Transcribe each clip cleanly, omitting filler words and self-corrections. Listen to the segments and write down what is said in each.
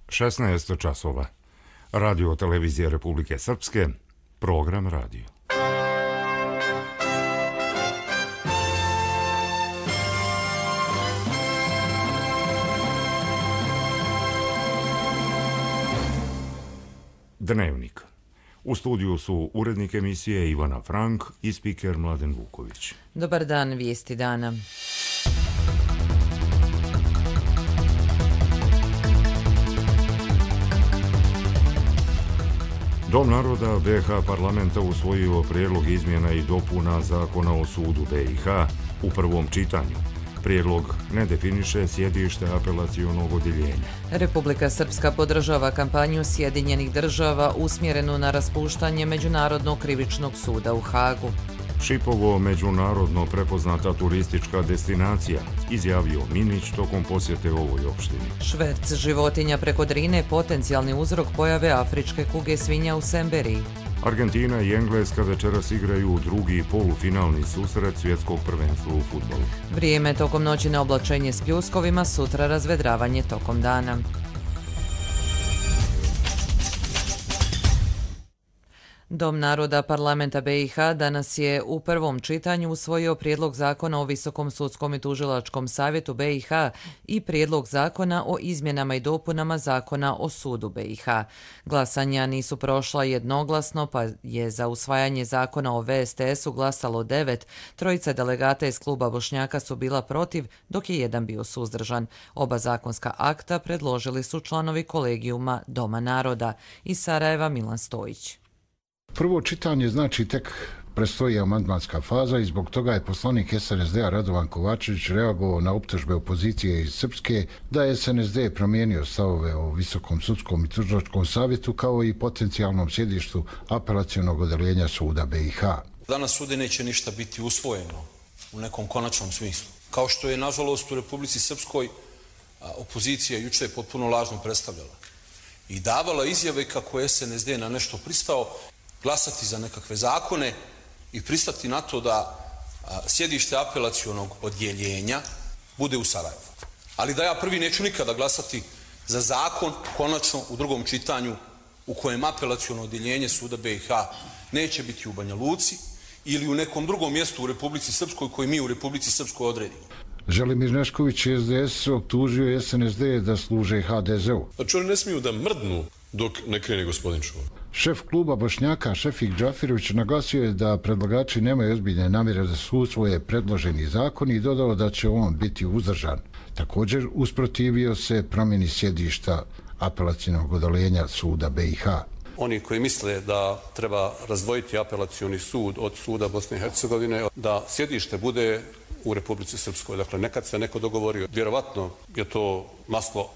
16 časova. Radio televizije Republike Srpske, program radio. Dnevnik. U studiju su urednik emisije Ivana Frank i spiker Mladen Vuković. Dobar dan, vijesti dana. Dom naroda BiH parlamenta usvojio prijedlog izmjena i dopuna Zakona o sudu BiH u prvom čitanju. Prijedlog ne definiše sjedište apelacionog odjeljenja. Republika Srpska podržava kampanju Sjedinjenih država usmjerenu na raspuštanje Međunarodnog krivičnog suda u Hagu. Šipovo međunarodno prepoznata turistička destinacija, izjavio Minić tokom posjete ovoj opštini. Šverc životinja preko Drine potencijalni uzrok pojave afričke kuge svinja u Semberiji. Argentina i Engleska večeras igraju drugi polufinalni susret svjetskog prvenstva u fudbalu. Vrijeme tokom noći na oblačenje s pljuskovima, sutra razvedravanje tokom dana. Dom naroda parlamenta BiH danas je u prvom čitanju usvojio prijedlog zakona o Visokom sudskom i tužilačkom savjetu BiH i prijedlog zakona o izmjenama i dopunama zakona o sudu BiH. Glasanja nisu prošla jednoglasno, pa je za usvajanje zakona o VSTS-u glasalo 9, trojica delegata iz kluba Bošnjaka su bila protiv, dok je jedan bio suzdržan. Oba zakonska akta predložili su članovi kolegijuma Doma naroda. Iz Sarajeva Milan Stojić. Prvo čitanje znači tek predstoji amandmanska faza i zbog toga je poslanik SNSD-a Radovan Kovačević reagovao na optužbe opozicije iz Srpske da je SNSD promijenio stavove o Visokom sudskom i tužilačkom savjetu kao i potencijalnom sjedištu apelacionog odeljenja suda BiH. Danas sude neće ništa biti usvojeno u nekom konačnom smislu. Kao što je, nažalost, u Republici Srpskoj opozicija juče potpuno lažno predstavljala i davala izjave kako je SNSD na nešto pristao, glasati za nekakve zakone i pristati na to da sjedište apelacionog odjeljenja bude u Sarajevu. Ali da ja prvi neću nikada glasati za zakon konačno u drugom čitanju u kojem apelaciono odjeljenje suda BiH neće biti u Banja Luci ili u nekom drugom mjestu u Republici Srpskoj koji mi u Republici Srpskoj odredimo. Želimir Nešković SDS optužio SNSD da služe HDZ-u. Znači oni ne smiju da mrdnu dok ne krene gospodin Čuvar. Šef kluba Bošnjaka Šefik Džafirović naglasio je da predlagači nemaju ozbiljne namjere da su usvoje predloženi zakon i dodao da će on biti uzdržan. Također usprotivio se promjeni sjedišta apelacionog odeljenja suda BiH. Oni koji misle da treba razdvojiti apelacioni sud od suda Bosne i Hercegovine, da sjedište bude u Republici Srpskoj. Dakle, nekad se neko dogovorio. Vjerovatno je to maslo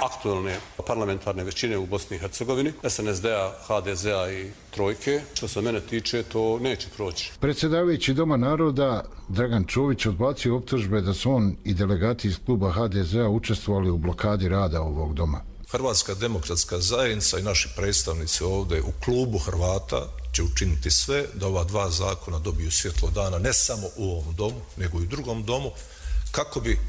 aktualne parlamentarne većine u Bosni i Hercegovini, SNSD-a, HDZ-a i Trojke. Što se mene tiče, to neće proći. Predsjedavajući Doma naroda Dragan Čović odbacio optužbe da su on i delegati iz kluba HDZ-a učestvovali u blokadi rada ovog doma. Hrvatska demokratska zajednica i naši predstavnici ovdje u klubu Hrvata će učiniti sve da ova dva zakona dobiju svjetlo dana, ne samo u ovom domu, nego i u drugom domu, kako bi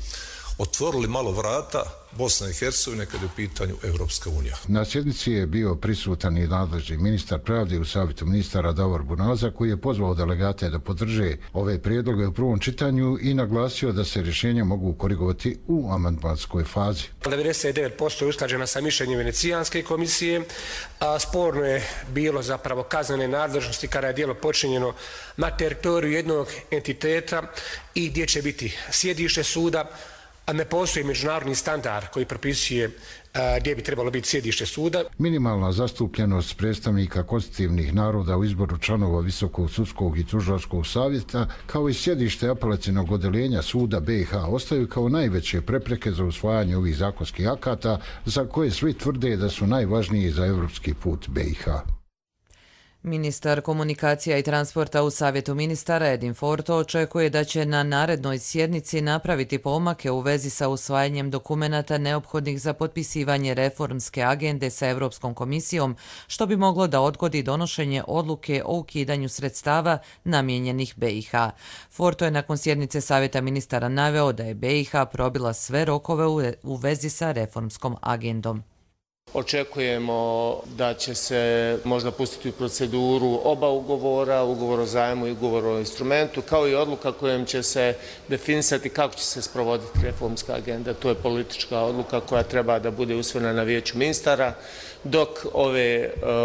otvorili malo vrata Bosne i Hercegovine kad je u pitanju Evropska unija. Na sjednici je bio prisutan i nadležni ministar pravde u savjetu ministara Davor Bunaza, koji je pozvao delegate da podrže ove prijedloge u prvom čitanju i naglasio da se rješenja mogu korigovati u amandmanskoj fazi. 99% je usklađena sa mišljenjem Venecijanske komisije, a sporno je bilo zapravo kaznene nadležnosti kada je djelo počinjeno na teritoriju jednog entiteta i gdje će biti sjedište suda, a ne postoji međunarodni standard koji propisuje gdje bi trebalo biti sjedište suda. Minimalna zastupljenost predstavnika konstitutivnih naroda u izboru članova Visokog sudskog i tužilačkog savjeta, kao i sjedište apelacionog odeljenja suda BiH ostaju kao najveće prepreke za usvajanje ovih zakonskih akata, za koje svi tvrde da su najvažniji za evropski put BiH. Ministar komunikacija i transporta u Savjetu ministara Edin Forto očekuje da će na narednoj sjednici napraviti pomake u vezi sa usvajanjem dokumenata neophodnih za potpisivanje reformske agende sa Europskom komisijom, što bi moglo da odgodi donošenje odluke o ukidanju sredstava namijenjenih BiH. Forto je nakon sjednice Savjeta ministara naveo da je BiH probila sve rokove u vezi sa reformskom agendom. Očekujemo da će se možda pustiti u proceduru oba ugovora, ugovor o zajmu i ugovor o instrumentu, kao i odluka kojom će se definisati kako će se sprovoditi reformska agenda. To je politička odluka koja treba da bude usvojena na vijeću ministara, dok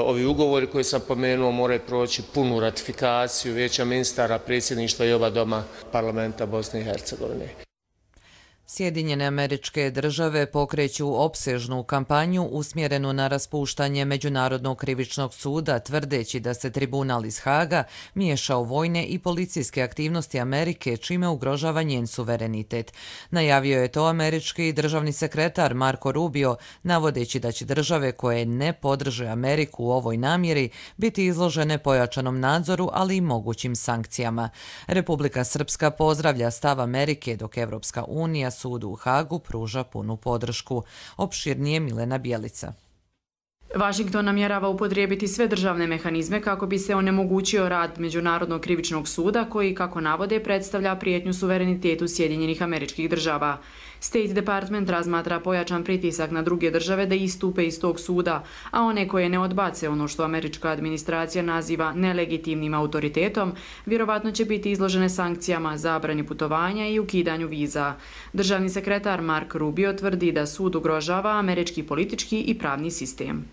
ovi ugovori koje sam pomenuo moraju proći punu ratifikaciju vijeća ministara, predsjedništva i oba doma parlamenta Bosne i Hercegovine. Sjedinjene Američke Države pokreću opsežnu kampanju usmjerenu na raspuštanje Međunarodnog krivičnog suda, tvrdeći da se tribunal iz Haga miješa u vojne i policijske aktivnosti Amerike, čime ugrožava njen suverenitet. Najavio je to američki državni sekretar Marco Rubio, navodeći da će države koje ne podrže Ameriku u ovoj namjeri biti izložene pojačanom nadzoru, ali i mogućim sankcijama. Republika Srpska pozdravlja stav Amerike, dok Evropska unija sudu u Hagu pruža punu podršku. Opširnije Milena Bjelica. Washington namjerava upotrijebiti sve državne mehanizme kako bi se onemogućio rad Međunarodnog krivičnog suda koji, kako navode, predstavlja prijetnju suverenitetu Sjedinjenih Američkih Država. State Department razmatra pojačan pritisak na druge države da istupe iz tog suda, a one koje ne odbace ono što američka administracija naziva nelegitimnim autoritetom, vjerovatno će biti izložene sankcijama, zabrani putovanja i ukidanju viza. Državni sekretar Mark Rubio tvrdi da sud ugrožava američki politički i pravni sistem.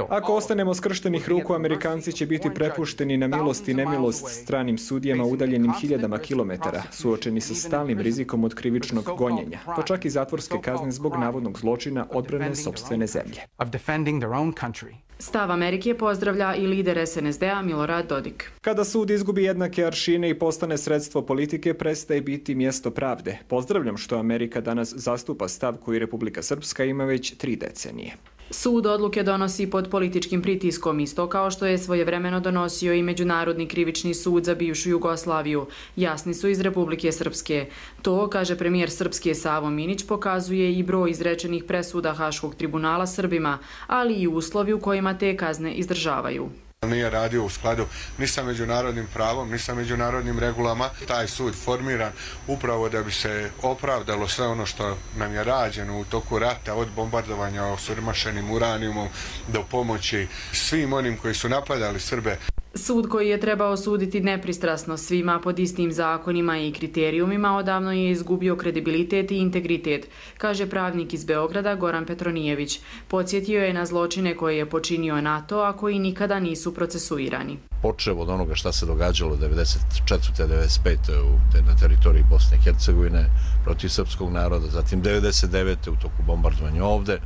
Ako ostanemo skrštenih ruku, Amerikanci će biti prepušteni na milost i nemilost stranim sudijama udaljenim hiljadama kilometara, suočeni sa stalnim rizikom od krivičnog gonjenja, pa čak i zatvorske kazne zbog navodnog zločina odbrane sopstvene zemlje. Stav Amerike pozdravlja i lider SNSD-a Milorad Dodik. Kada sud izgubi jednake aršine i postane sredstvo politike, prestaje biti mjesto pravde. Pozdravljam što Amerika danas zastupa stav koji Republika Srpska ima već 3 decenije. Sud odluke donosi pod političkim pritiskom, isto kao što je svojevremeno donosio i Međunarodni krivični sud za bivšu Jugoslaviju. Jasni su iz Republike Srpske. To, kaže premijer Srpske Savo Minić, pokazuje i broj izrečenih presuda Haškog tribunala Srbima, ali i uslovi u kojima te kazne izdržavaju. Nije radio u skladu ni sa međunarodnim pravom, ni sa međunarodnim regulama. Taj sud formiran upravo da bi se opravdalo sve ono što nam je rađeno u toku rata, od bombardovanja osiromašenim uranijumom do pomoći svim onim koji su napadali Srbe. Sud koji je trebao suditi nepristrasno svima pod istim zakonima i kriterijumima odavno je izgubio kredibilitet i integritet, kaže pravnik iz Beograda Goran Petronijević. Podsjetio je na zločine koje je počinio NATO, a koji nikada nisu procesuirani. Počev od onoga šta se događalo 1994. 1995. na teritoriji Bosne i Hercegovine protiv srpskog naroda, zatim 1999. u toku bombardovanja ovde,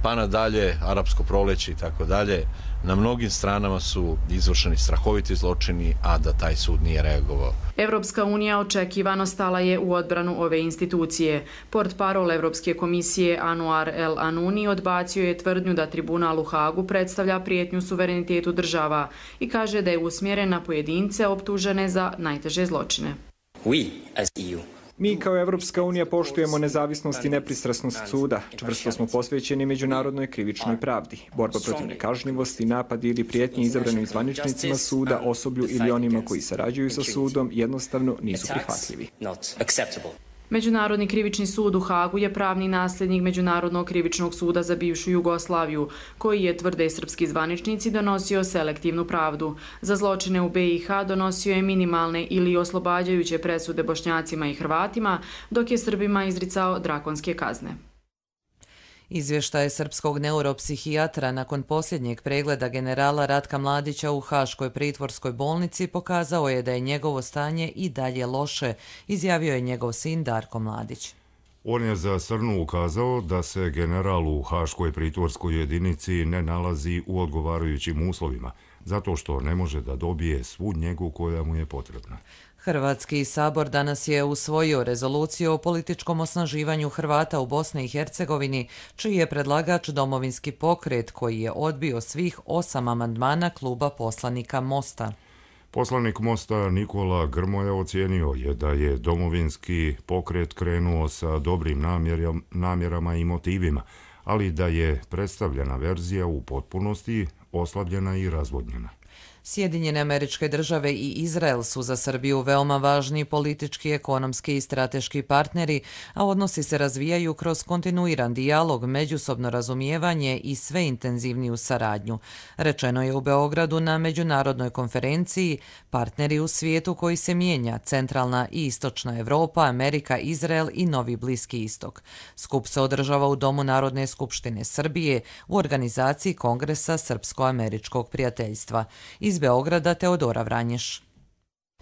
pa nadalje, arapsko proleće i tako dalje. Na mnogim stranama su izvršeni strahoviti zločini, a da taj sud nije reagovao. Evropska unija očekivano stala je u odbranu ove institucije. Portparol Evropske komisije Anouar El Anouni odbacio je tvrdnju da tribunal u Hagu predstavlja prijetnju suverenitetu država i kaže da je usmjeren na pojedince optužene za najteže zločine. Mi kao Evropska unija poštujemo nezavisnost i nepristrasnost suda. Čvrsto smo posvećeni međunarodnoj krivičnoj pravdi. Borba protiv nekažnjivosti, napadi ili prijetnje izabranim zvaničnicima suda, osoblju ili onima koji sarađuju sa sudom jednostavno nisu prihvatljivi. Međunarodni krivični sud u Hagu je pravni nasljednik Međunarodnog krivičnog suda za bivšu Jugoslaviju, koji je, tvrde srpski zvaničnici, donosio selektivnu pravdu. Za zločine u BiH donosio je minimalne ili oslobađajuće presude Bošnjacima i Hrvatima, dok je Srbima izricao drakonske kazne. Izvještaj srpskog neuropsihijatra nakon posljednjeg pregleda generala Ratka Mladića u Haškoj pritvorskoj bolnici pokazao je da je njegovo stanje i dalje loše, izjavio je njegov sin Darko Mladić. On je za Srnu ukazao da se general u Haškoj pritvorskoj jedinici ne nalazi u odgovarajućim uslovima, zato što ne može da dobije svu njegu koja mu je potrebna. Hrvatski sabor danas je usvojio rezoluciju o političkom osnaživanju Hrvata u Bosni i Hercegovini, čiji je predlagač Domovinski pokret, koji je odbio svih 8 amandmana kluba poslanika Mosta. Poslanik Mosta Nikola Grmoja ocijenio je da je Domovinski pokret krenuo sa dobrim namjerama i motivima, ali da je predstavljena verzija u potpunosti oslabljena i razvodnjena. Sjedinjene Američke Države i Izrael su za Srbiju veoma važni politički, ekonomski i strateški partneri, a odnosi se razvijaju kroz kontinuiran dijalog, međusobno razumijevanje i sve intenzivniju saradnju. Rečeno je u Beogradu na međunarodnoj konferenciji Partneri u svijetu koji se mijenja, centralna i istočna Evropa, Amerika, Izrael i Novi Bliski istok. Skup se održava u Domu Narodne skupštine Srbije u organizaciji Kongresa Srpsko-američkog prijateljstva. Iz Beograda Teodora Vranješ.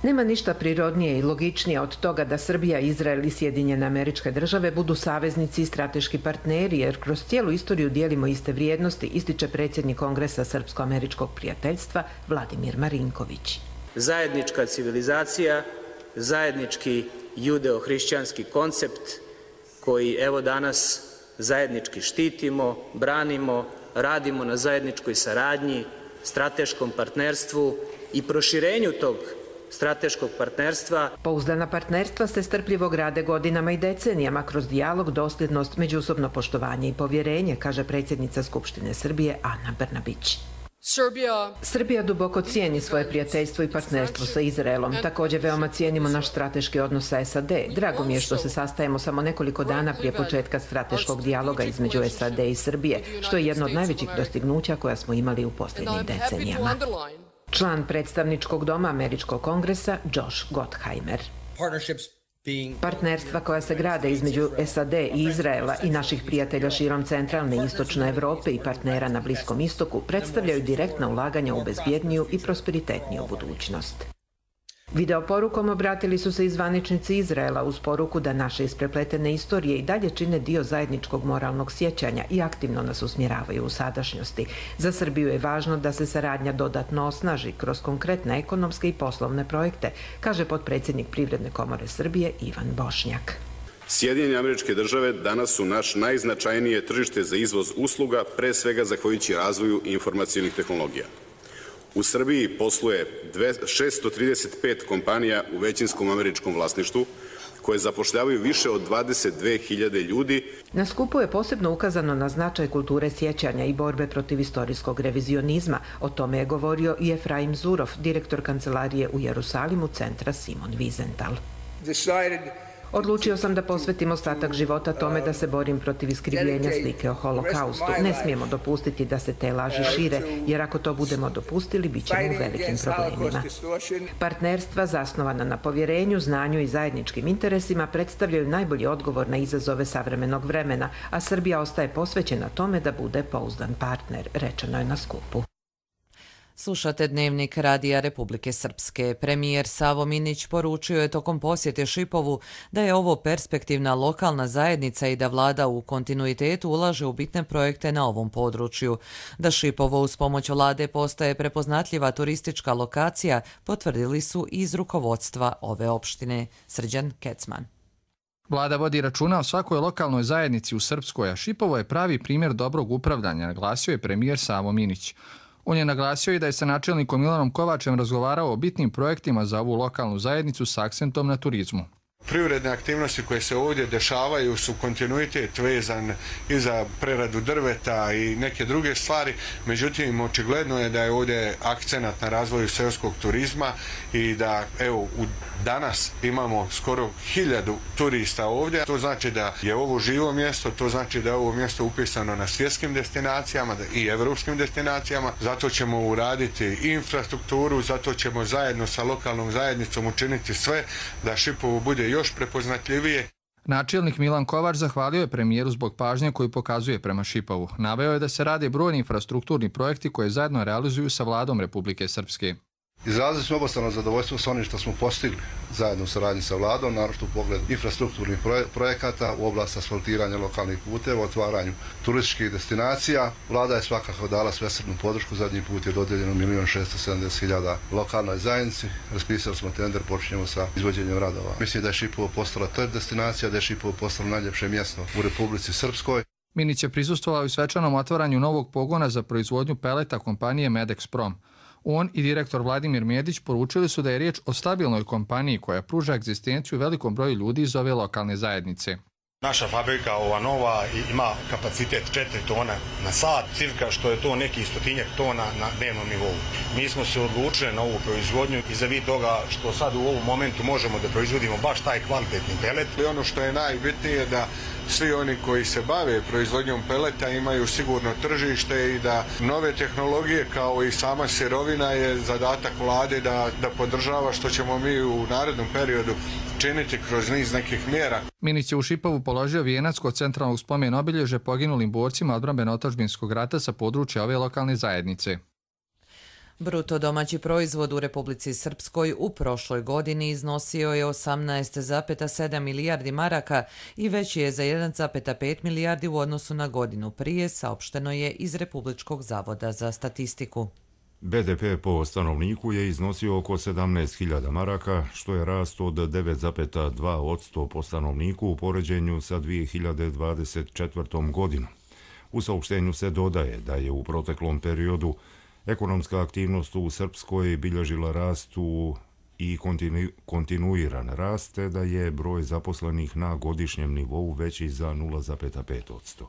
Nema ništa prirodnije i logičnije od toga da Srbija, Izrael i Sjedinjene Američke Države budu saveznici i strateški partneri, jer kroz cijelu istoriju dijelimo iste vrijednosti, ističe predsjednik Kongresa Srpsko-američkog prijateljstva Vladimir Marinković. Zajednička civilizacija, zajednički judeo-hrišćanski koncept koji evo danas zajednički štitimo, branimo, radimo na zajedničkoj saradnji, strateškom partnerstvu i proširenju tog strateškog partnerstva. Pouzdana partnerstva se strpljivo grade godinama i decenijama kroz dijalog, dosljednost, međusobno poštovanje i povjerenje, kaže predsjednica Skupštine Srbije Ana Brnabić. Srbija duboko cijeni svoje prijateljstvo i partnerstvo sa Izraelom. Također veoma cijenimo naš strateški odnos sa SAD. Drago mi je što se sastajemo samo nekoliko dana prije početka strateškog dijaloga između SAD i Srbije, što je jedno od najvećih dostignuća koja smo imali u posljednjim decenijama. Član predstavničkog doma Američkog kongresa Josh Gottheimer. Partnerstva koja se grade između SAD i Izraela i naših prijatelja širom centralne i istočne Evrope i partnera na Bliskom istoku predstavljaju direktna ulaganja u bezbjedniju i prosperitetniju budućnost. Videoporukom obratili su se i zvaničnici Izraela uz poruku da naše isprepletene istorije i dalje čine dio zajedničkog moralnog sjećanja i aktivno nas usmjeravaju u sadašnjosti. Za Srbiju je važno da se saradnja dodatno osnaži kroz konkretne ekonomske i poslovne projekte, kaže potpredsjednik Privredne komore Srbije Ivan Bošnjak. Sjedinjene Američke Države danas su naš najznačajnije tržište za izvoz usluga, pre svega zahvaljujući razvoju informacionih tehnologija. U Srbiji posluje 635 kompanija u većinskom američkom vlasništvu, koje zapošljavaju više od 22.000 ljudi. Na skupu je posebno ukazano na značaj kulture sjećanja i borbe protiv istorijskog revizionizma. O tome je govorio i Efraim Zurov, direktor kancelarije u Jerusalimu centra Simon Wiesenthal. Odlučio sam da posvetim ostatak života tome da se borim protiv iskrivljenja slike o holokaustu. Ne smijemo dopustiti da se te laži šire, jer ako to budemo dopustili, bit ćemo u velikim problemima. Partnerstva zasnovana na povjerenju, znanju i zajedničkim interesima predstavljaju najbolji odgovor na izazove savremenog vremena, a Srbija ostaje posvećena tome da bude pouzdan partner, rečeno je na skupu. Slušate Dnevnik Radija Republike Srpske. Premijer Savo Minić poručio je tokom posjete Šipovu da je ovo perspektivna lokalna zajednica i da vlada u kontinuitetu ulaže u bitne projekte na ovom području. Da Šipovo uz pomoć vlade postaje prepoznatljiva turistička lokacija, potvrdili su iz rukovodstva ove opštine. Srđan Kecman. Vlada vodi računa o svakoj lokalnoj zajednici u Srpskoj, a Šipovo je pravi primjer dobrog upravljanja, naglasio je premijer Savo Minić. On je naglasio i da je sa načelnikom Milanom Kovačem razgovarao o bitnim projektima za ovu lokalnu zajednicu s akcentom na turizmu. Privredne aktivnosti koje se ovdje dešavaju su kontinuitet vezan i za preradu drveta i neke druge stvari, međutim očigledno je da je ovdje akcenat na razvoju seoskog turizma i da evo danas imamo skoro 1000 turista ovdje. To znači da je ovo živo mjesto, to znači da je ovo mjesto upisano na svjetskim destinacijama i evropskim destinacijama. Zato ćemo uraditi infrastrukturu, zato ćemo zajedno sa lokalnom zajednicom učiniti sve da Šipovo bude još prepoznatljivije. Načelnik Milan Kovač zahvalio je premijeru zbog pažnje koju pokazuje prema Šipovu. Naveo je da se rade brojni infrastrukturni projekti koje zajedno realizuju sa vladom Republike Srpske. Izrazili smo obostrano zadovoljstvo sa onim što smo postigli zajedno u saradnji sa vladom, naročito u pogledu infrastrukturnih projekata u oblasti asfaltiranja lokalnih puteva, otvaranju turističkih destinacija. Vlada je svakako dala svesrdnu podršku, zadnji put je dodijeljeno 1.670.000 lokalnoj zajednici. Raspisali smo tender, počinjemo sa izvođenjem radova. Mislim da je Šipovo postala top destinacija, da je Šipovo postalo najljepše mjesto u Republici Srpskoj. Minić je prisustvovao i svečanom otvaranju novog pogona za proizvodnju peleta kompanije Medexprom. On i direktor Vladimir Medić poručili su da je riječ o stabilnoj kompaniji koja pruža egzistenciju velikom broju ljudi iz ove lokalne zajednice. Naša fabrika, ova nova, ima kapacitet 4 tona na sat, cirka, što je to neki 100-tinjak tona na dnevnom nivou. Mi smo se odlučili na ovu proizvodnju i za vid toga što sad u ovom momentu možemo da proizvodimo baš taj kvalitetni pelet. I ono što je najbitnije da svi oni koji se bave proizvodnjom peleta imaju sigurno tržište i da nove tehnologije kao i sama sirovina je zadatak vlade da podržava, što ćemo mi u narednom periodu činiti kroz niz nekih mjera. Minić je u Šipovu položio vijenac kod centralnog spomen obilježja poginulim borcima odbrambeno-otadžbinskog rata sa područja ove lokalne zajednice. Bruto domaći proizvod u Republici Srpskoj u prošloj godini iznosio je 18,7 milijardi maraka i veći je za 1,5 milijardi u odnosu na godinu prije, saopšteno je iz Republičkog zavoda za statistiku. BDP po stanovniku je iznosio oko 17.000 maraka, što je rast od 9,2% po stanovniku u poređenju sa 2024. godinom. U saopštenju se dodaje da je u proteklom periodu ekonomska aktivnost u Srpskoj bilježila rastu i kontinuiran rast, te da je broj zaposlenih na godišnjem nivou veći za 0,5%.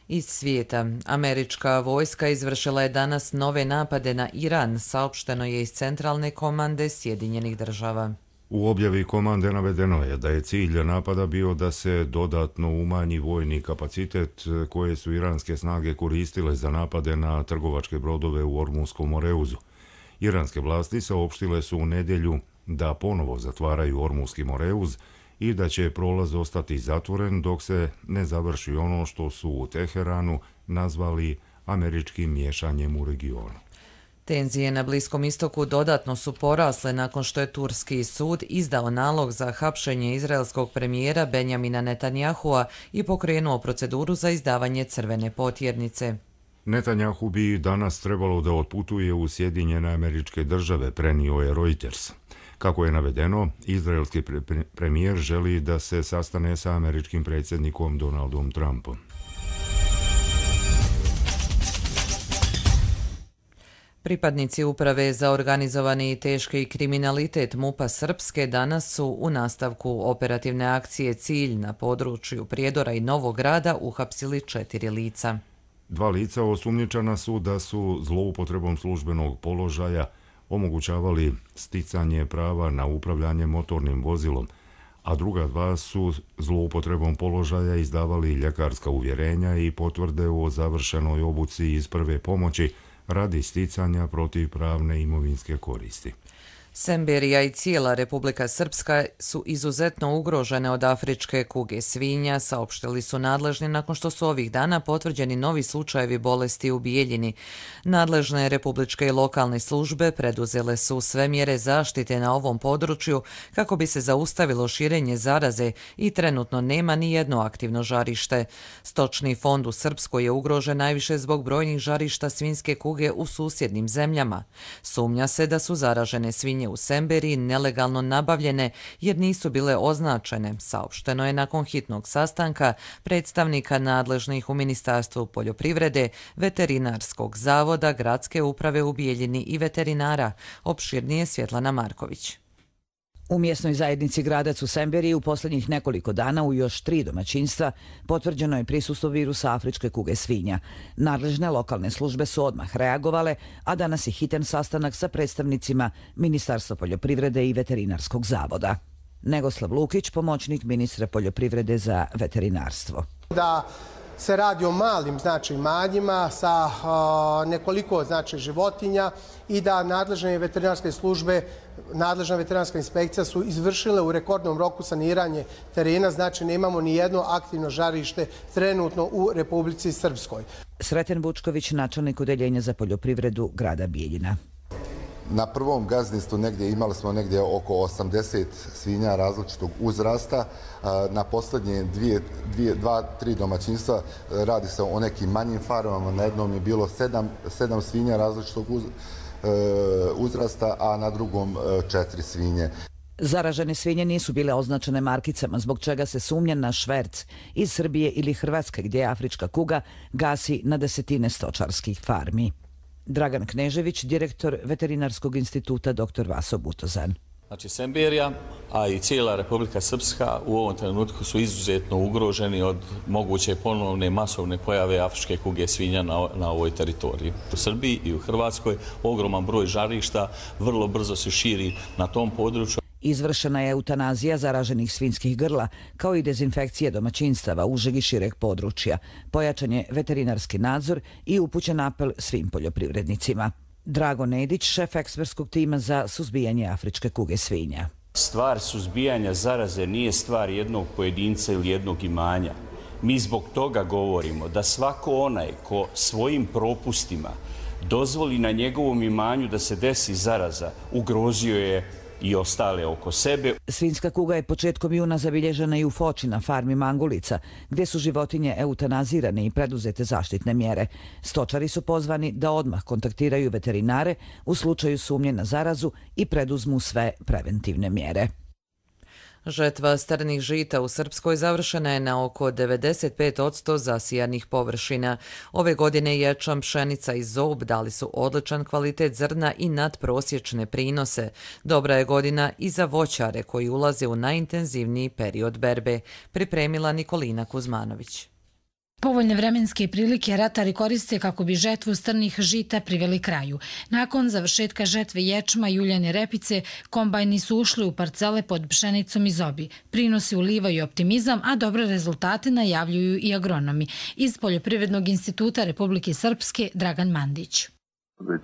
Iz svijeta, američka vojska izvršila je danas nove napade na Iran, saopšteno je iz centralne komande Sjedinjenih država. U objavi komande navedeno je da je cilj napada bio da se dodatno umanji vojni kapacitet koje su iranske snage koristile za napade na trgovačke brodove u Ormunskom Moreuzu. Iranske vlasti saopštile su u nedjelju da ponovo zatvaraju Ormunski Moreuz i da će prolaz ostati zatvoren dok se ne završi ono što su u Teheranu nazvali američkim miješanjem u regionu. Tenzije na Bliskom istoku dodatno su porasle nakon što je turski sud izdao nalog za hapšenje izraelskog premijera Benjamina Netanjahua i pokrenuo proceduru za izdavanje crvene potjernice. Netanjahu bi danas trebalo da otputuje u Sjedinjene Američke Države, prenio je Reuters. Kako je navedeno, izraelski premijer želi da se sastane sa američkim predsjednikom Donaldom Trumpom. Pripadnici Uprave za organizovani i teški kriminalitet MUP-a Srpske danas su u nastavku operativne akcije Cilj na području Prijedora i Novog Grada uhapsili 4 lica. 2 lica osumnjičena su da su zloupotrebom službenog položaja omogućavali sticanje prava na upravljanje motornim vozilom, a druga 2 su zloupotrebom položaja izdavali ljekarska uvjerenja i potvrde o završenoj obuci iz prve pomoći radi sticanja protivpravne imovinske koristi. Semberija i cijela Republika Srpska su izuzetno ugrožene od afričke kuge svinja, saopštili su nadležni nakon što su ovih dana potvrđeni novi slučajevi bolesti u Bijeljini. Nadležne republičke i lokalne službe preduzele su sve mjere zaštite na ovom području kako bi se zaustavilo širenje zaraze i trenutno nema ni jedno aktivno žarište. Stočni fond u Srpskoj je ugrožen najviše zbog brojnih žarišta svinjske kuge u susjednim zemljama. Sumnja se da su zaražene svinje u Semberiji nelegalno nabavljene jer nisu bile označene, saopšteno je nakon hitnog sastanka predstavnika nadležnih u Ministarstvu poljoprivrede, Veterinarskog zavoda, Gradske uprave u Bijeljini i veterinara. Opširnije Svjetlana Marković. U mjesnoj zajednici Gradac u Semberiji u posljednjih nekoliko dana u još 3 domaćinstva potvrđeno je prisustvo virusa afričke kuge svinja. Nadležne lokalne službe su odmah reagovale, a danas je hitan sastanak sa predstavnicima Ministarstva poljoprivrede i Veterinarskog zavoda. Negoslav Lukić, pomoćnik ministra poljoprivrede za veterinarstvo. Da se radi o malim imanjima sa nekoliko životinja i da nadležne veterinarske službe, nadležna veterinarska inspekcija su izvršile u rekordnom roku saniranje terena, znači nemamo ni jedno aktivno žarište trenutno u Republici Srpskoj. Sreten Vučković, načelnik odeljenja za poljoprivredu grada Bijeljina. Na prvom gazdinstvu imali smo negdje oko 80 svinja različitog uzrasta. Na posljednje 2-3 domaćinstva radi se o nekim manjim farmama. Na jednom je bilo 7 svinja različitog uzrasta, a na drugom 4 svinje. Zaražene svinje nisu bile označene markicama, zbog čega se sumnja na šverc iz Srbije ili Hrvatske, gdje afrička kuga gasi na desetine stočarskih farmi. Dragan Knežević, direktor Veterinarskog instituta Dr. Vaso Butozan. Znači Semberija, a i cijela Republika Srpska u ovom trenutku su izuzetno ugroženi od moguće ponovne masovne pojave afričke kuge svinja na ovoj teritoriji. U Srbiji i u Hrvatskoj ogroman broj žarišta vrlo brzo se širi na tom području. Izvršena je eutanazija zaraženih svinjskih grla, kao i dezinfekcije domaćinstava užeg i šireg područja. Pojačan je veterinarski nadzor i upućen apel svim poljoprivrednicima. Drago Nedić, šef ekspertskog tima za suzbijanje afričke kuge svinja. Stvar suzbijanja zaraze nije stvar jednog pojedinca ili jednog imanja. Mi zbog toga govorimo da svako onaj ko svojim propustima dozvoli na njegovom imanju da se desi zaraza, ugrozio je i ostale oko sebe. Svinjska kuga je početkom juna zabilježena i u Foči na farmi Mangulica, gdje su životinje eutanazirane i preduzete zaštitne mjere. Stočari su pozvani da odmah kontaktiraju veterinare u slučaju sumnje na zarazu i preduzmu sve preventivne mjere. Žetva strnih žita u Srpskoj završena je na oko 95% zasijanih površina. Ove godine ječam, pšenica i zob dali su odličan kvalitet zrna i nadprosječne prinose. Dobra je godina i za voćare koji ulaze u najintenzivniji period berbe, pripremila Nikolina Kuzmanović. Povoljne vremenske prilike ratari koriste kako bi žetvu strnih žita priveli kraju. Nakon završetka žetve ječma i uljane repice, kombajni su ušli u parcele pod pšenicom i zobi. Prinosi ulivaju optimizam, a dobre rezultate najavljuju i agronomi. Iz Poljoprivrednog instituta Republike Srpske, Dragan Mandić.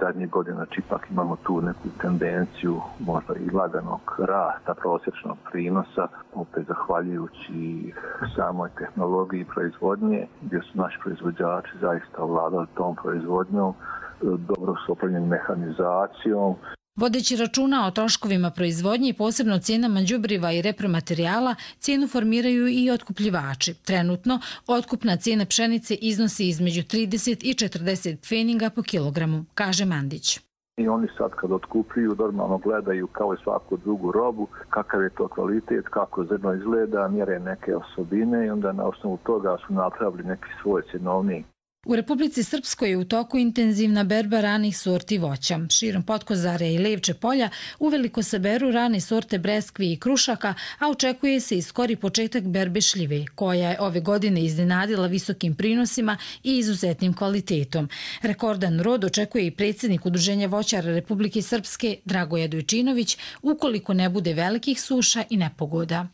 Zadnjih godina ipak imamo tu neku tendenciju možda i laganog rasta prosječnog prinosa, opet zahvaljujući samoj tehnologiji proizvodnje, gdje su naši proizvođači zaista ovladali tom proizvodnjom, dobro su opremljeni mehanizacijom. Vodeći računa o troškovima proizvodnje i posebno cijenama đubriva i repromaterijala, cijenu formiraju i otkupljivači. Trenutno, otkupna cijena pšenice iznosi između 30 i 40 pfeninga po kilogramu, kaže Mandić. I oni sad kad otkupljuju normalno gledaju kao i svaku drugu robu, kakav je to kvalitet, kako zrno izgleda, mjere neke osobine i onda na osnovu toga su napravili neki svoj cjenovnik. U Republici Srpskoj je u toku intenzivna berba ranih sorti voća. Širom Potkozare i Levče polja uveliko se beru rane sorte breskvi i krušaka, a očekuje se i skori početak berbe šljive, koja je ove godine iznenadila visokim prinosima i izuzetnim kvalitetom. Rekordan rod očekuje i predsjednik Udruženja voćara Republike Srpske Dragoje Dojčinović, ukoliko ne bude velikih suša i nepogoda.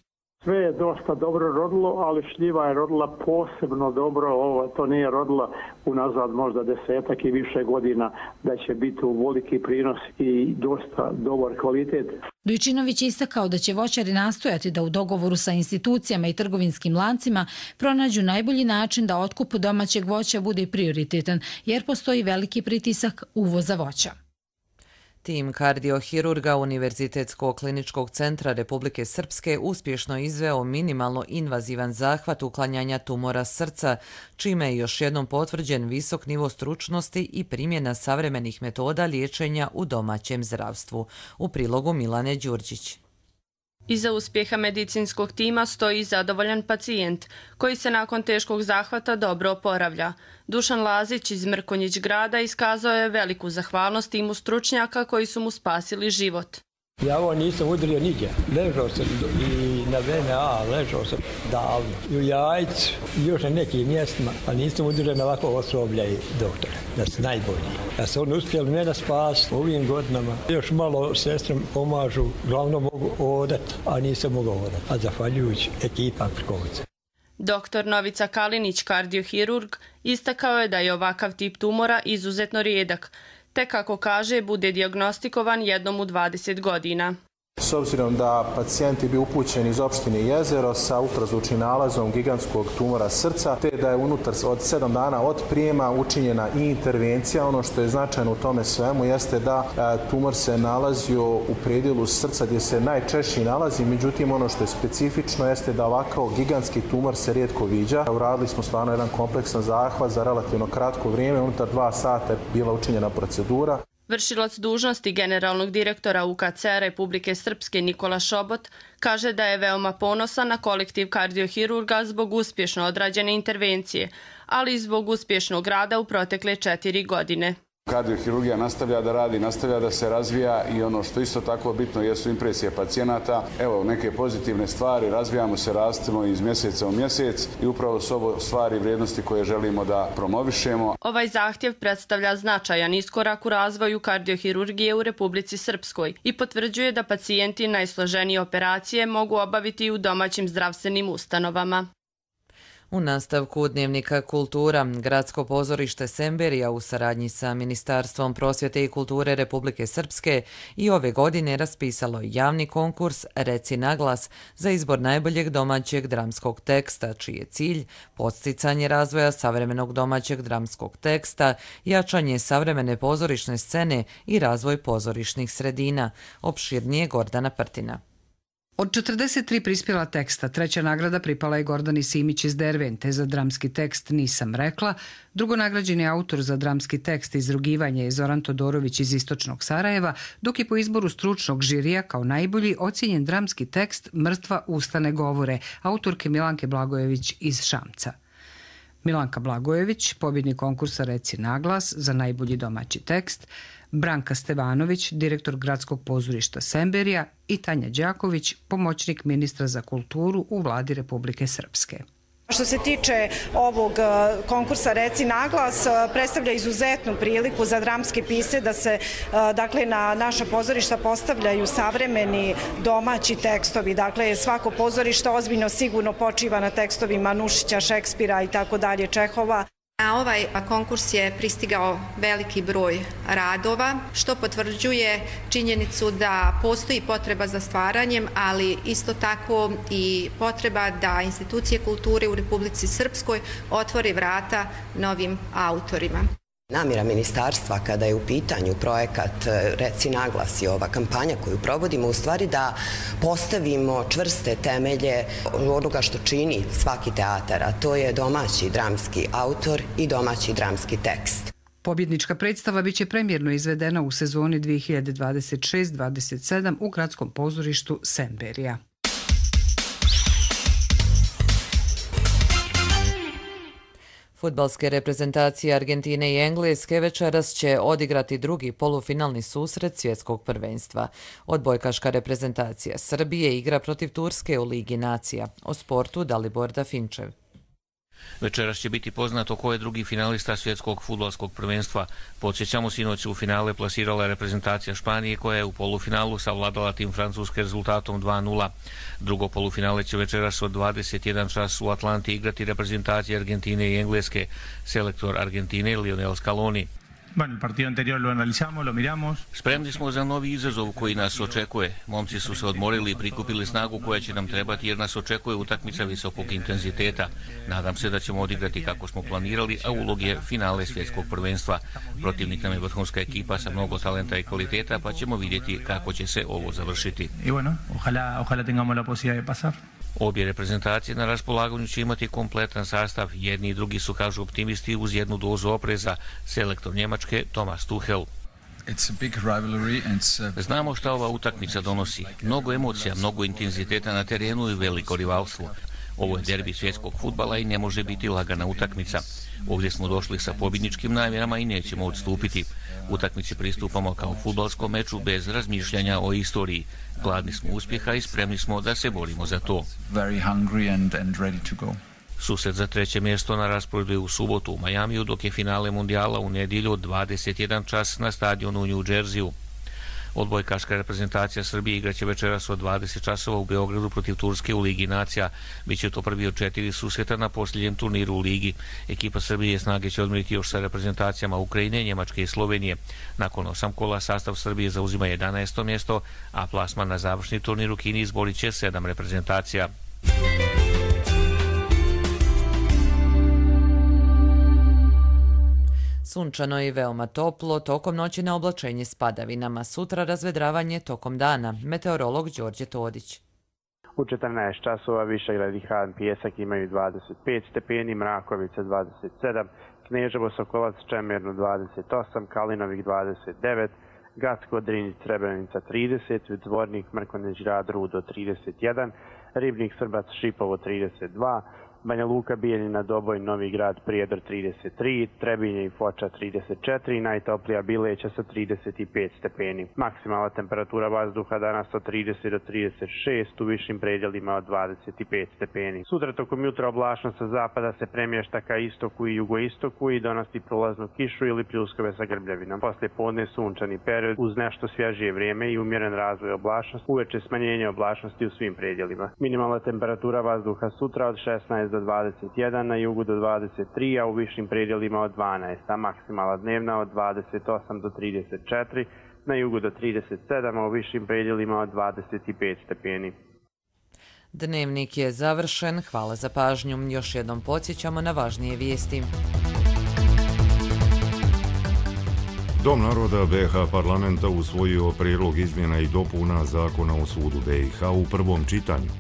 Sve je dosta dobro rodilo, ali šljiva je rodila posebno dobro. To nije rodila unazad možda 10 i više godina, da će biti u veliki prinos i dosta dobar kvalitet. Dojčinović je istakao da će voćari nastojati da u dogovoru sa institucijama i trgovinskim lancima pronađu najbolji način da otkup domaćeg voća bude prioritetan, jer postoji veliki pritisak uvoza voća. Tim kardiohirurga Univerzitetskog kliničkog centra Republike Srpske uspješno izveo minimalno invazivan zahvat uklanjanja tumora srca, čime je još jednom potvrđen visok nivo stručnosti i primjena savremenih metoda liječenja u domaćem zdravstvu. U prilogu Milane Đurđić. Iza uspjeha medicinskog tima stoji zadovoljan pacijent, koji se nakon teškog zahvata dobro oporavlja. Dušan Lazić iz Mrkonjić grada iskazao je veliku zahvalnost timu stručnjaka koji su mu spasili život. Ja ovo nisam udario nigdje. Ležao sam i na VMA, ležao sam davno. I u Jajcu, i još na nekim mjestima, a nisam udario na ovako osoblja i doktora. Da su najbolji. Ja sam on uspjeli mene spasiti ovim godinama. Još malo sestrom pomažu, glavno mogu odati, a nisam mogao odati. A zahvaljujući ekipa Prkovica. Doktor Novica Kalinić, kardiohirurg, istakao je da je ovakav tip tumora izuzetno rijedak, te kako kaže bude dijagnostikovan jednom u 20 godina. S obzirom da pacijent je bio upućen iz opštine Jezero sa ultrazvučnim nalazom gigantskog tumora srca, te da je unutar od 7 dana od prijema učinjena i intervencija. Ono što je značajno u tome svemu jeste da tumor se nalazio u predjelu srca gdje se najčešće nalazi, međutim ono što je specifično jeste da ovakav gigantski tumor se rijetko viđa. Uradili smo stvarno jedan kompleksan zahvat za relativno kratko vrijeme, unutar 2 sata je bila učinjena procedura. Vršilac dužnosti generalnog direktora UKC Republike Srpske Nikola Šobot kaže da je veoma ponosan na kolektiv kardiohirurga zbog uspješno odrađene intervencije, ali i zbog uspješnog rada u protekle 4 godine. Kardiohirurgija nastavlja da radi, nastavlja da se razvija i ono što isto tako bitno jesu impresije pacijenata. Evo neke pozitivne stvari, razvijamo se, rastemo iz mjeseca u mjesec i upravo su ovo stvari i vrijednosti koje želimo da promovišemo. Ovaj zahtjev predstavlja značajan iskorak u razvoju kardiohirurgije u Republici Srpskoj i potvrđuje da pacijenti najsloženije operacije mogu obaviti u domaćim zdravstvenim ustanovama. U nastavku Dnevnika kultura, Gradsko pozorište Semberija u saradnji sa Ministarstvom prosvjete i kulture Republike Srpske i ove godine raspisalo javni konkurs Reci naglas za izbor najboljeg domaćeg dramskog teksta, čiji je cilj podsticanje razvoja savremenog domaćeg dramskog teksta, jačanje savremene pozorišne scene i razvoj pozorišnih sredina. Opširnije Gordana Prtina. Od 43 prispjela teksta, treća nagrada pripala je Gordani Simić iz Dervente za dramski tekst Nisam rekla, drugonagrađeni autor za dramski tekst Izrugivanje je Zoran Todorović iz Istočnog Sarajeva, dok je po izboru stručnog žirija kao najbolji ocijenjen dramski tekst Mrtva usta ne govore, autorke Milanke Blagojević iz Šamca. Milanka Blagojević, pobjednik konkursa Reci naglas za najbolji domaći tekst, Branka Stevanović, direktor Gradskog pozorišta Semberija i Tanja Đaković, pomoćnik ministra za kulturu u vladi Republike Srpske. Što se tiče ovog konkursa Reci naglas, predstavlja izuzetnu priliku za dramske pisce da se na naša pozorišta postavljaju savremeni domaći tekstovi. Dakle, svako pozorište ozbiljno sigurno počiva na tekstovima Nušića, Šekspira i tako dalje, Čehova. Na ovaj konkurs je pristigao veliki broj radova, što potvrđuje činjenicu da postoji potreba za stvaranjem, ali isto tako i potreba da institucije kulture u Republici Srpskoj otvore vrata novim autorima. Namjera ministarstva kada je u pitanju projekat Reci naglas i ova kampanja koju provodimo u stvari da postavimo čvrste temelje onoga što čini svaki teatar, a to je domaći dramski autor i domaći dramski tekst. Pobjednička predstava biće premijerno izvedena u sezoni 2026-27 u Gradskom pozorištu Semberija. Fudbalske reprezentacije Argentine i Engleske večeras će odigrati drugi polufinalni susret svjetskog prvenstva. Odbojkaška reprezentacija Srbije igra protiv Turske u Ligi nacija. O sportu Dalibor Dafinčev. Večeras će biti poznato ko je drugi finalista svjetskog fudbalskog prvenstva. Podsjećamo, sinoć u finale plasirala reprezentacija Španije koja je u polufinalu savladala tim Francuske rezultatom 2:0. Drugo polufinale će večeras od 21 čas u Atlanti igrati reprezentacije Argentine i Engleske. Selektor Argentine Lionel Scaloni. Spremni smo za novi izazov koji nas očekuje. Momci su se odmorili i prikupili snagu koja će nam trebati jer nas očekuje utakmica visokog intenziteta. Nadam se da ćemo odigrati kako smo planirali, a ulog je finale svjetskog prvenstva. Protivnik nam je vrhunska ekipa sa mnogo talenta i kvaliteta, pa ćemo vidjeti kako će se ovo završiti. Obje reprezentacije na raspolaganju će imati kompletan sastav. Jedni i drugi su, kažu optimisti, uz jednu dozu opreza. Selektor Njemačke Thomas Tuchel. Znamo šta ova utakmica donosi. Mnogo emocija, mnogo intenziteta na terenu i veliko rivalstvo. Ovo je derbi svjetskog fudbala i ne može biti lagana utakmica. Ovdje smo došli sa pobjedničkim namjerama i nećemo odstupiti. Utakmici pristupamo kao fudbalskom meču bez razmišljanja o istoriji. Gladni smo uspjeha i spremni smo da se borimo za to. Susret za treće mjesto na rasporedu je u subotu u Majamiju, dok je finale mundijala u nedjelju od 21 čas na stadionu u New Jersey-u. Odbojkaška reprezentacija Srbije igraće večeras od 20 časova u Beogradu protiv Turske u Ligi nacija. Biće to prvi od 4 susreta na posljednjem turniru u Ligi. Ekipa Srbije snage će odmjeriti još sa reprezentacijama Ukrajine, Njemačke i Slovenije. Nakon 8 kola sastav Srbije zauzima 11. mjesto, a plasman na završni turnir u Kini izborit će 7 reprezentacija. Sunčano i veoma toplo, tokom noći na oblačenje s padavinama, sutra razvedravanje tokom dana. Meteorolog Đorđe Todić. U 14 časova Višegrad i Han Pijesak imaju 25 stepeni, Mrakovica 27, Kneževo Sokolac Čemernu 28, Kalinovik 29, Gacko Drinjić Srebrenica 30, Zvornik Mrkonjić Grad Rudo 31, Ribnik Srbac Šipovo 32, Banja Luka, Bijeljina, Doboj, Novi Grad, Prijedor 33, Trebinje i Foča 34 i najtoplija Bileća sa 35 stepeni. Maksimalna temperatura vazduha danas od 30 do 36, u višim predjelima od 25 stepeni. Sutra tokom jutra oblačnost sa zapada se premješta ka istoku i jugoistoku i donosi prolaznu kišu ili pljuskove sa grbljavinom. Poslije podne sunčani period uz nešto svježije vrijeme i umjeren razvoj oblačnosti, uveče smanjenje oblačnosti u svim predjelima. Minimalna temperatura vazduha sutra od 16 do 21, na jugu do 23, a u višim predjelima od 12, a maksimala dnevna od 28 do 34, na jugu do 37, a u višim predjelima od 25 stepeni. Dnevnik je završen. Hvala za pažnju. Još jednom podsjećamo na važnije vijesti. Dom naroda BiH parlamenta usvojio prijedlog izmjena i dopuna Zakona o sudu BiH u prvom čitanju.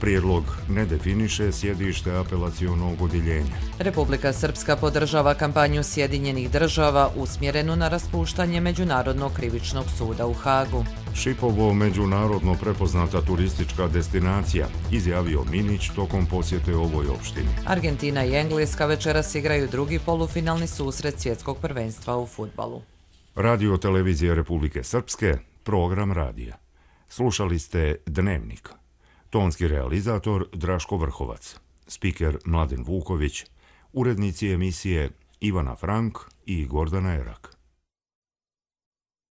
Prijedlog ne definiše sjedište apelacionog odjeljenja. Republika Srpska podržava kampanju Sjedinjenih država usmjerenu na raspuštanje Međunarodnog krivičnog suda u Hagu. Šipovo međunarodno prepoznata turistička destinacija, izjavio Minić tokom posjete ovoj opštini. Argentina i Engleska večeras igraju drugi polufinalni susret svjetskog prvenstva u fudbalu. Radio televizije Republike Srpske, program radija. Slušali ste Dnevnik. Tonski realizator Draško Vrhovac, spiker Mladen Vuković, urednici emisije Ivana Frank i Gordana Erak.